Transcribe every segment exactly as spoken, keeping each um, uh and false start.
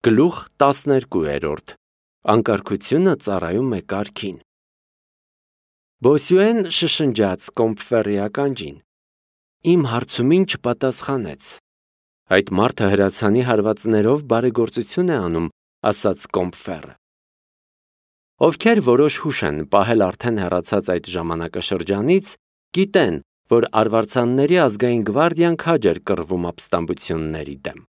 Գլուխ տասներկու։ Անկարգությունը ծառայում է կարգին։ Բոսյուեն շշնջաց Կոմբֆերի ականջին։ Իմ հարցումին չպատասխանեց։ Այդ մարդը հրացանի հարվածներով բարեգործություն է անում, ասաց Կոմբֆերը։ Ովքեր որոշ հուշ են պահել արդեն հեռացած այդ ժամանակաշրջանից, գիտեն, որ արվարձանների ազգային գվարդիան քաջ էր կռվում ապստամբությունների դեմ։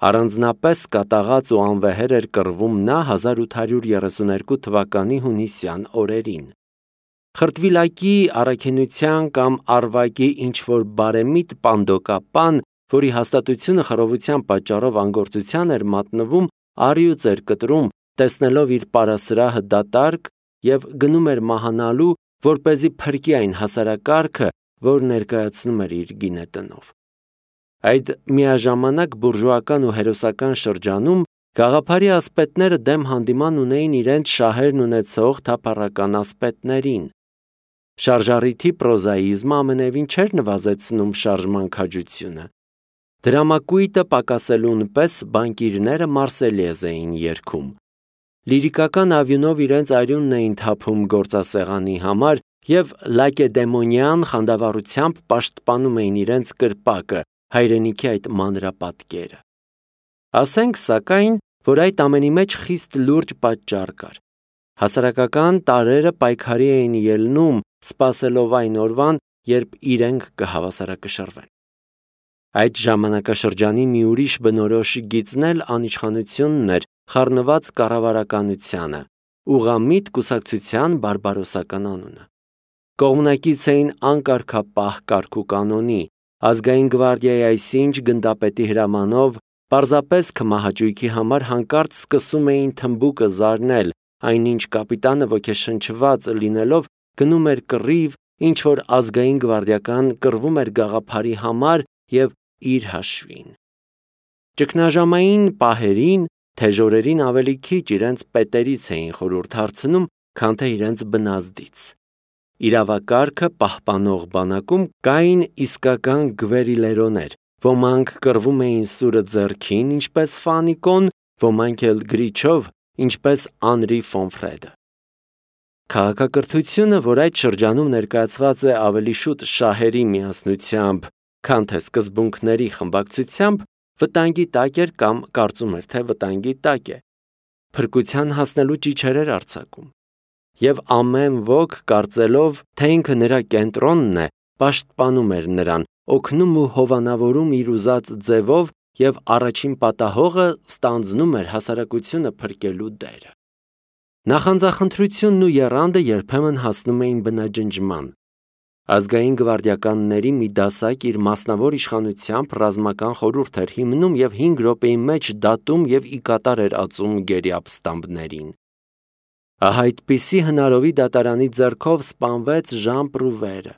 Առանձնապես կատաղած ու անվեհեր էր կռվում նա հազար ութ հարյուր երեսուներկու թվականի հունիսյան օրերին։ Խրտվիլակի առաքինության կամ արվակի ինչ-որ բարեմիտ պանդոկապան, որի հաստատությունը խռովության պատճառով անգործության էր մատնվում, առյուծ էր կտրում, տեսնելով իր պարասրահը դատարկ և գնում էր մահանալու, որպեսզի փրկի այն հասարակարգը, որ ներկայացնում էր իր գինետնով։ Այդ միաժամանակ բուրժուական ու հերոսական շրջանում գաղափարի ասպետները դեմ հանդիման ունեին իրենց շահերն ունեցող թափառական ասպետներին։ Շարժառիթի պրոզաիզմը ամենևին չէր նվազեցնում շարժման քաջությունը։ Դրամակույտը պակասելուն պես բանկիրները Մարսելյեզ էին երգում։ Լիրիկական ավյունով իրենց արյունն էին թափում գործասեղանի համար և լակեդեմոնյան խանդավառությամբ պաշտպանում էին իրենց կրպակը, հայրենիքի այդ մանրապատկերը։ Ասենք, սակայն, որ այդ ամենի մեջ խիստ լուրջ պատճառ կար։ Հասարակական տարրերը պայքարի էին ելնում, սպասելով այն օրվան, երբ իրենք կհավասարակշռվեն։ Այդ ժամանակաշրջանի մի ուրիշ բնորոշ գիծն էլ անիշխանությունն էր, խառնված կառավարականությանը, ուղղամիտ կուսակցության բարբարոսական անունը։ Կողմնակից էին անկարգապահ կարգուկանոնի, ազգային գվարդիայի այսինչ գնդապետի հրամանով, պարզապես քմահաճույքի համար հանկարծ սկսում էին թմբուկը զարնել, այնինչ կապիտանը ոգեշնչված լինելով գնում էր կռիվ, ինչ-որ ազգային գվարդիական կռվում էր գաղափարի համար և իր հաշվին։ Ճգնաժամային պահերին թեժորերին ավելի քիչ իրենց պետերից էին խորհուրդ հարցնում, քան թե իրենց բնազդից։ Իրավակարգը պահպանող բանակում կային իսկական գվերիլերոներ, ոմանք կռվում էին սուրը ձեռքին, ինչպես Ֆանիկոն, ոմանք էլ գրիչով, ինչպես Անրի Ֆոնֆրեդը։ Քաղաքակրթությունը, որ այդ շրջանում ներկայացված է ավելի շուտ շահերի միասնությամբ, քան թե սկզբունքների խմբակցությամբ, վտանգի տակ էր կամ կարծում էր, թե վտանգի տակ է։ Փրկության հասնելու ճիչեր էր արձակում։ Եվ ամեն ոք, կարծելով, թե ինքը նրա կենտրոնն է, պաշտպանում էր նրան, օգնում ու հովանավորում իր ուզած ձևով և առաջին պատահողը ստանձնում էր հասարակությունը փրկելու դերը։ Նախանձախնդրությունն ու եռանդը երբեմն հասնում էին բնաջնջման։ Ազգային գվարդիականների մի դասակ իր մասնավոր իշխանությամբ ռազմական խորհուրդ էր հիմնում և հինգ րոպեի մեջ դատում և ի կատար էր ածում գերի ապստամբներին։ Ահա այդպիսի հնարովի դատարանի ձեռքով սպանվեց Ժան Պրուվերը։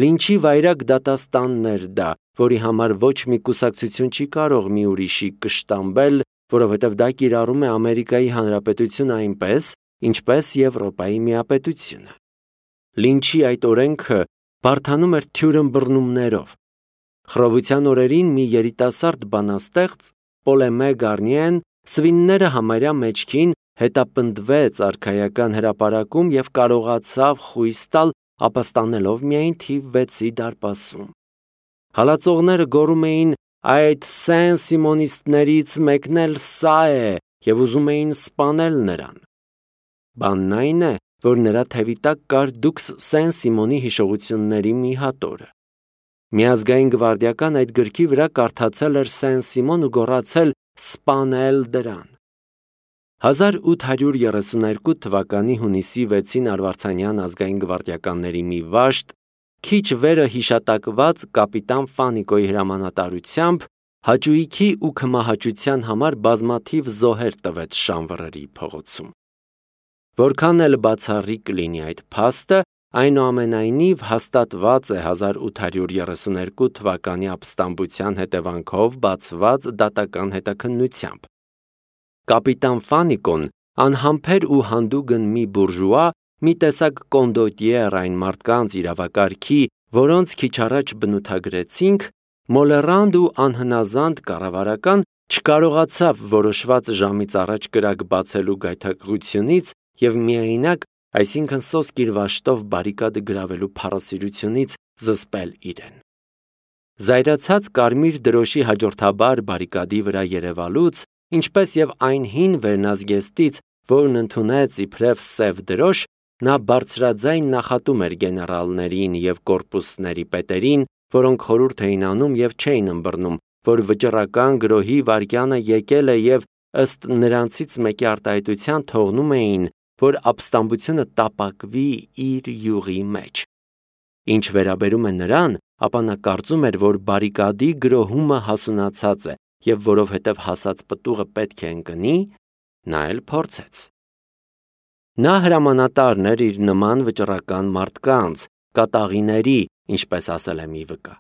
Լինչի վայրագ դատաստանն էր դա, որի համար ոչ մի կուսակցություն չի կարող մի ուրիշի կշտամբել, որովհետև դա կիրառում է Ամերիկայի Հանրապետությունը այնպես, ինչպես Եվրոպայի միապետությունը։ Լինչի այդ օրենքը բարդանում էր թյուրըմբռնումներով։ Խռովության օրերին մի երիտասարդ բանաստեղծ, Պոլեմե Գարնիեն, սվինները համարյա մեջքին հետապնդվեց արքայական հրապարակում և կարողացավ խույս տալ, ապաստանելով միայն թիվ վեցի դարպասում։ Հալածողները գոռում էին. «Այդ սեն-սիմոնիստներից մեկն էլ սա է» և ուզում էին սպանել նրան։ Բանն այն է, որ նրա թևի տակ կար Դուքս Սեն-Սիմոնի հիշողությունների մի հատորը։ Միազգային գվարդիական այդ գրքի վրա կարդացել էր Սեն-Սիմոն ու գոռացել «Սպանել դրան»։ հազար ութ հարյուր երեսուներկու թվականի հունիսի վեցին արվարձանյան ազգային գվարդիականների մի վաշտ, քիչ վերը հիշատակված կապիտան Ֆանիկոյի հրամանատարությամբ, հաճույքի ու քմահաճության համար բազմաթիվ զոհեր տվեց Շանվռերի փողոցում։ Որքան էլ բացառիկ լինի այդ փաստը, այնուամենայնիվ հաստատված է հազար ութ հարյուր երեսուներկու թվականի ապստամբության հետևանքով բացված դատական հետաքննությամբ։ Կապիտան Ֆանիկոն, անհամբեր ու հանդուգն մի բուրժուա, մի տեսակ կոնդոտիեր այն մարդկանց իրավակարգի, որոնց քիչ առաջ բնութագրեցինք, մոլեռանդ ու անհնազանդ կառավարական, չկարողացավ որոշված ժամից առաջ կրակ բացելու գայթակղությունից և միայնակ, այսինքն սոսկ իր վաշտով բարիկադը գրավելու փառասիրությունից զսպել իրեն։ Զայրացած կարմիր դրոշի հաջորդաբար բարիկադի վրա երևալուց, ինչպես և այն հին վերնազգեստից, որն ընդունեց իբրև սև դրոշ, նա բարձրաձայն նախատում էր գեներալներին և կորպուսների պետերին, որոնք խորհուրդ էին անում և չէին ըմբռնում, որ վճռական գրոհի վայրկյանը եկել է և ըստ նրանցից մեկի արտահայտության թողնում էին, որ ապստամբությունը տապակվի իր յուղի մեջ։ Ինչ վերաբերում է նրան, ապա նա կարծում էր, որ բարիկադի գրոհումը հասունացած է, և որովհետև հասած պտուղը պետք է ընկնի, նա էլ փորձեց։ Նա հրամանատարն էր իր նման վճռական մարդկանց, կատաղիների, ինչպես ասել է մի վկա։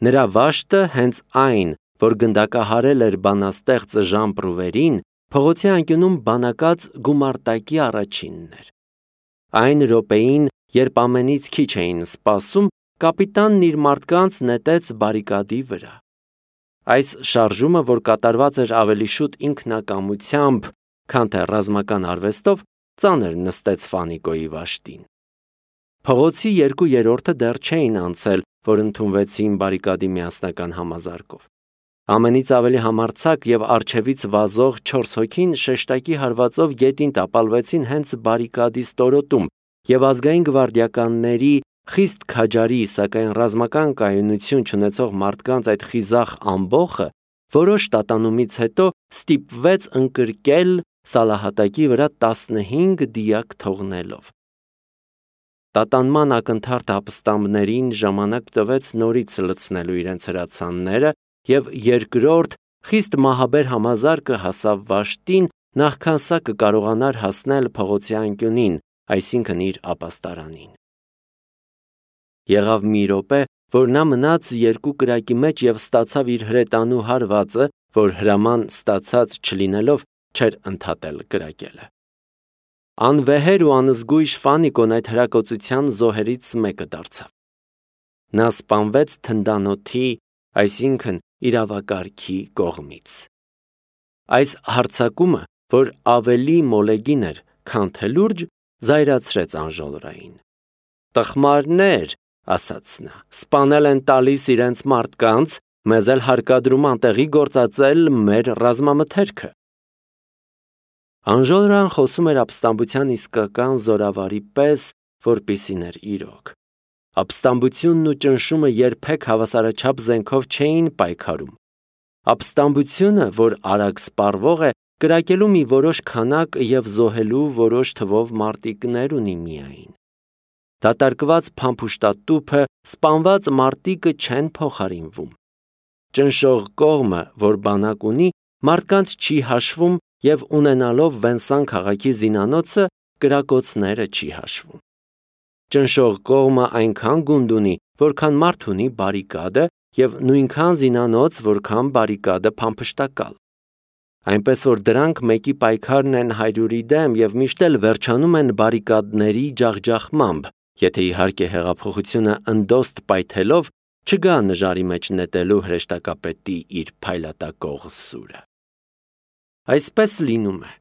Նրա վաշտը հենց այն, որ գնդակահարել էր բանաստեղծ Ժան Պրուվերին, փողոցի անկյունում բանակած գումարտակի առաջինն էր։ Այն րոպեին, երբ ամենից քիչ էին սպասում, կապիտանն իր մարդկանց նետեց բարիկադի վրա։ Այս շարժումը, որ կատարված էր ավելի շուտ ինքնակամությամբ, քան թե ռազմական արվեստով, ծանր նստեց Ֆանիկոյի վաշտին։ Փողոցի երկու երրորդը դեռ չէին անցել, որ ընդունվեցին բարիկադի միասնական համազարկով։ Ամենից ավելի համարձակ և առջևից վազող չորս հոգին շեշտակի հարվածով գետին տապալվեցին հենց բարիկադի ստորոտում, և ազգային գվարդիականների խիստ քաջարի, սակայն ռազմական կայունություն չունեցող մարդկանց այդ խիզախ ամբոխը որոշ տատանումից հետո ստիպվեց ընկրկել սալահատակի վրա տասնհինգ դիակ թողնելով։ Տատանման ակնթարթ ապստամբներին ժամանակ տվեց նորից լցնելու իրենց հրացանները, և երկրորդ, խիստ մահաբեր համազարկը հասավ վաշտին, նախքան սա կկարողանար հասնել փողոցի անկյունին, այսինքն իր ապաստարանին։ Եղավ մի րոպե, որ նա մնաց երկու կրակի մեջ և ստացավ իր հրետանու հարվածը, որ հրաման ստացած չլինելով չէր ընդհատել կրակելը։ Անվեհեր ու անզգույշ Ֆանիկոն այդ հրակոծության զոհերից մեկը դարձավ։ Նա սպանվեց թնդանոթի, այսինքն իրավակարգի կողմից։ Այս հարձակումը, որ ավելի մոլեգին էր, քան թե լուրջ, զայրացրեց Անժոլրային։ «Տխմարներ», ասաց նա, «սպանել են տալիս իրենց մարդկանց, մեզ էլ հարկադրում անտեղի գործածել մեր ռազմամթերքը»։ Անժոլրան խոսում էր ապստամբության իսկական զորավարի պես, որպիսին էր իրոք։ Ապստամբությունն ու ճնշումը երբեք հավասարաչափ զենքով չէին պայքարում։ Ապստամբությունը, որ արագ սպառվող է, կրակելու մի որոշ քանակ և զոհելու որոշ թվով մարտիկներ ունի միայն։ Դատարկված փամփուշտատուփը, սպանված մարտիկը չեն փոխարինվում։ Ճնշող կողմը, որ բանակ ունի, մարդկանց չի հաշվում և ունենալով Վենսան քաղաքի զինանոցը, կրակոցները չի հաշվում։ Ճնշող կողմը այնքան գունդ ունի, որքան մարդ ունի բարիկադը, և նույնքան զինանոց, որքան բարիկադը փամփշտակալ։ Այնպես որ դրանք մեկի պայքարն են հարյուրի դեմ և միշտ էլ վերջանում են բարիկադների ջախջախմամբ, եթե իհարկե հեղափոխությունը ընդոստ պայթելով չգա նժարի մեջ նետելու հրեշտակապետի իր փայլատակող սուրը։ Այսպես լինում է։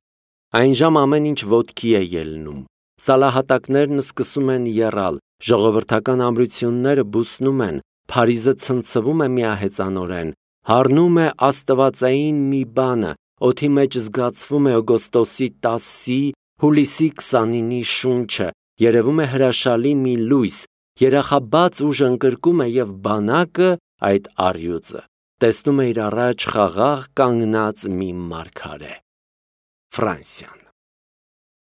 Այն ժամ ամեն ինչ ոտքի է ելնում, սալահատակներն սկսում են եռալ, ժողովրդական ամրությունները բուսնում են, Փարիզը ցնցվում է միահեծանորեն, հառնում է աստվածային մի բանը, օդի մեջ զգացվում է օգոստոսի տասի, հուլիսի քսանինի շունչը, երևում է հրաշալի մի լույս, երախաբաց ուժ ընկրկում է և բանակը, այդ առյուծը, տեսնում է իր առաջ խաղաղ կանգնած մի մարգարե։ Ֆրանսիան։